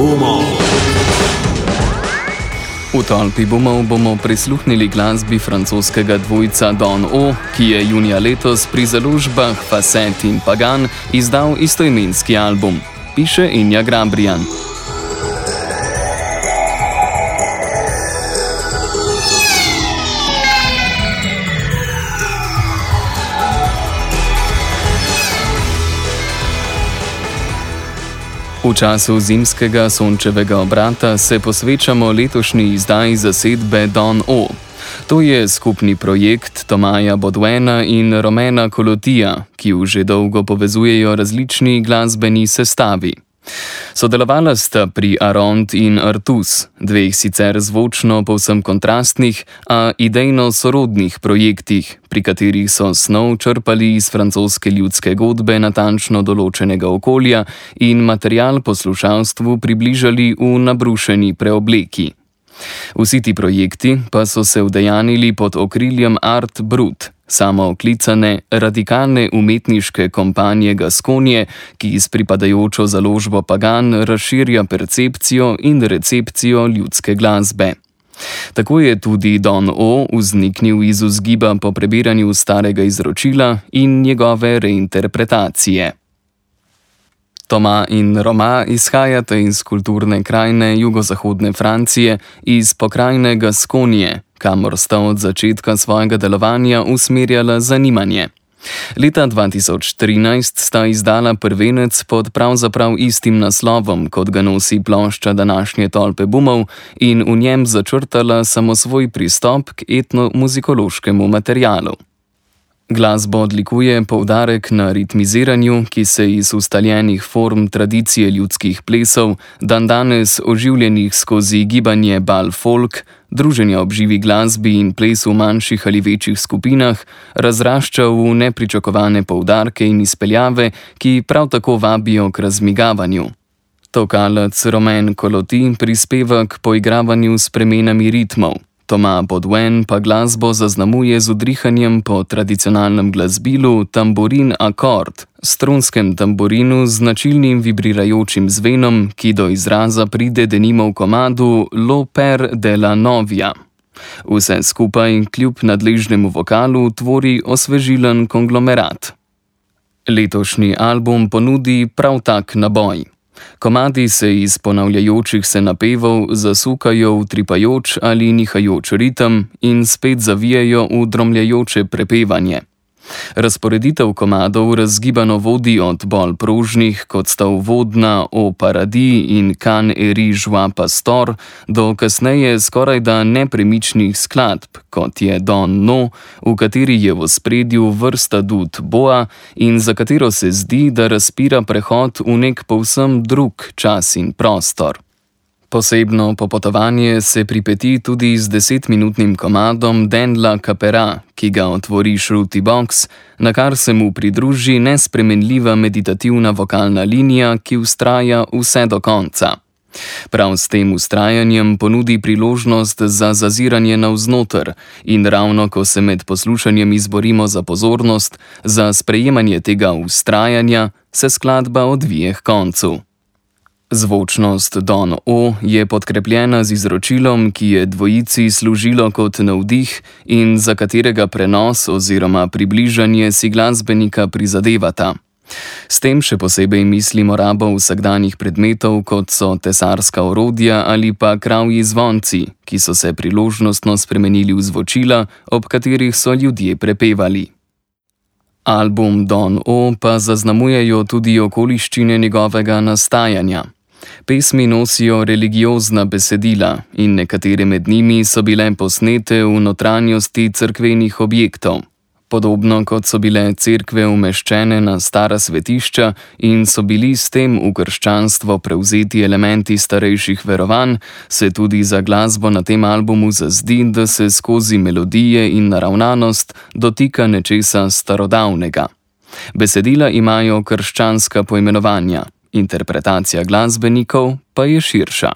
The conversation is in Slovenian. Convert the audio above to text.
bumov. V tolpi bumov bomo prisluhnili glasbi francoskega dvojca Don O, ki je junija letos pri založbah Facet in Pagan izdal istoimenski album. Piše Inja Grabrijan. V času zimskega sončevega obrata se posvečamo letošnji izdaji zasedbe Don O. To je skupni projekt Tomaja Baudouina in Romena Colotija, ki ju že dolgo povezujejo različni glasbeni sestavi. Sodelovala sta pri Arond in Artus, dveh sicer zvočno povsem kontrastnih, a idejno sorodnih projektih, pri katerih so snov črpali iz francoske ljudske godbe natančno določenega okolja in material poslušalstvu približali v nabrušeni preobleki. Vsi ti projekti pa so se udejanili pod okriljem Art Brut, samooklicane radikalne umetniške kompanje Gaskonje, ki s pripadajočo založbo Pagan razširja percepcijo in recepcijo ljudske glasbe. Tako je tudi Don O vzniknil iz vzgiba po prebiranju starega izročila in njegove reinterpretacije. Toma in Roma izhajata iz kulturne krajine jugozahodne Francije, iz pokrajine Gaskonje, kamor sta od začetka svojega delovanja usmerjala zanimanje. Leta 2013 sta izdala prvenec pod pravzaprav istim naslovom, kot ga nosi plošča današnje tolpe bumov, in v njem začrtala samosvoj pristop k etnomuzikološkemu materialu. Glasbo odlikuje poudarek na ritmiziranju, ki se iz ustaljenih form tradicije ljudskih plesov, dandanes oživljenih skozi gibanje bal folk, druženja ob živi glasbi in ples v manjših ali večjih skupinah, razrašča v nepričakovane poudarke in izpeljave, ki prav tako vabijo k razmigavanju. Tokalec Romain Coloti prispeva k poigravanju s spremenami ritmov. Toma Baudouin pa glasbo zaznamuje z udrihanjem po tradicionalnem glasbilu tamburin akord, strunskem tamburinu z značilnim vibrirajočim zvenom, ki do izraza pride denimo v komadu Lo Per de la Novia. Vse skupaj kljub nadležnemu vokalu tvori osvežilen konglomerat. Letošnji album ponudi prav tak naboj. Komadi se iz ponavljajočih se napevov zasukajo v tripajoč ali nihajoč ritem in spet zavijajo v dromljajoče prepevanje. Razporeditev komadov razgibano vodi od bolj prožnih, kot sta uvodna O Paradis in Can eri joie pastor, do kasneje skorajda nepremičnih skladb, kot je Don No, v kateri je v ospredju vrsta dud boa in za katero se zdi, da razpira prehod v nek povsem drug čas in prostor. Posebno popotovanje se pripeti tudi z 10-minutnim komadom Den la Capera, ki ga otvori Shruti Box, na kar se mu pridruži nespremenljiva meditativna vokalna linija, ki vztraja vse do konca. Prav s tem vztrajanjem ponudi priložnost za zaziranje navznoter in ravno ko se med poslušanjem izborimo za pozornost, za sprejemanje tega vztrajanja, se skladba odvije k koncu. Zvočnost Don O je podkrepljena z izročilom, ki je dvojici služilo kot navdih in za katerega prenos oziroma približanje si glasbenika prizadevata. S tem še posebej mislimo rabo vsakdanjih predmetov, kot so tesarska orodja ali pa kravji zvonci, ki so se priložnostno spremenili v zvočila, ob katerih so ljudje prepevali. Album Don O pa zaznamujejo tudi okoliščine njegovega nastajanja. Pesmi nosijo religiozna besedila in nekatere med njimi so bile posnete v notranjosti cerkvenih objektov. Podobno kot so bile cerkve umeščene na stara svetišča in so bili s tem v krščanstvo prevzeti elementi starejših verovanj, se tudi za glasbo na tem albumu zazdi, da se skozi melodije in naravnanost dotika nečesa starodavnega. Besedila imajo krščanska poimenovanja, interpretacija glasbenikov pa je širša.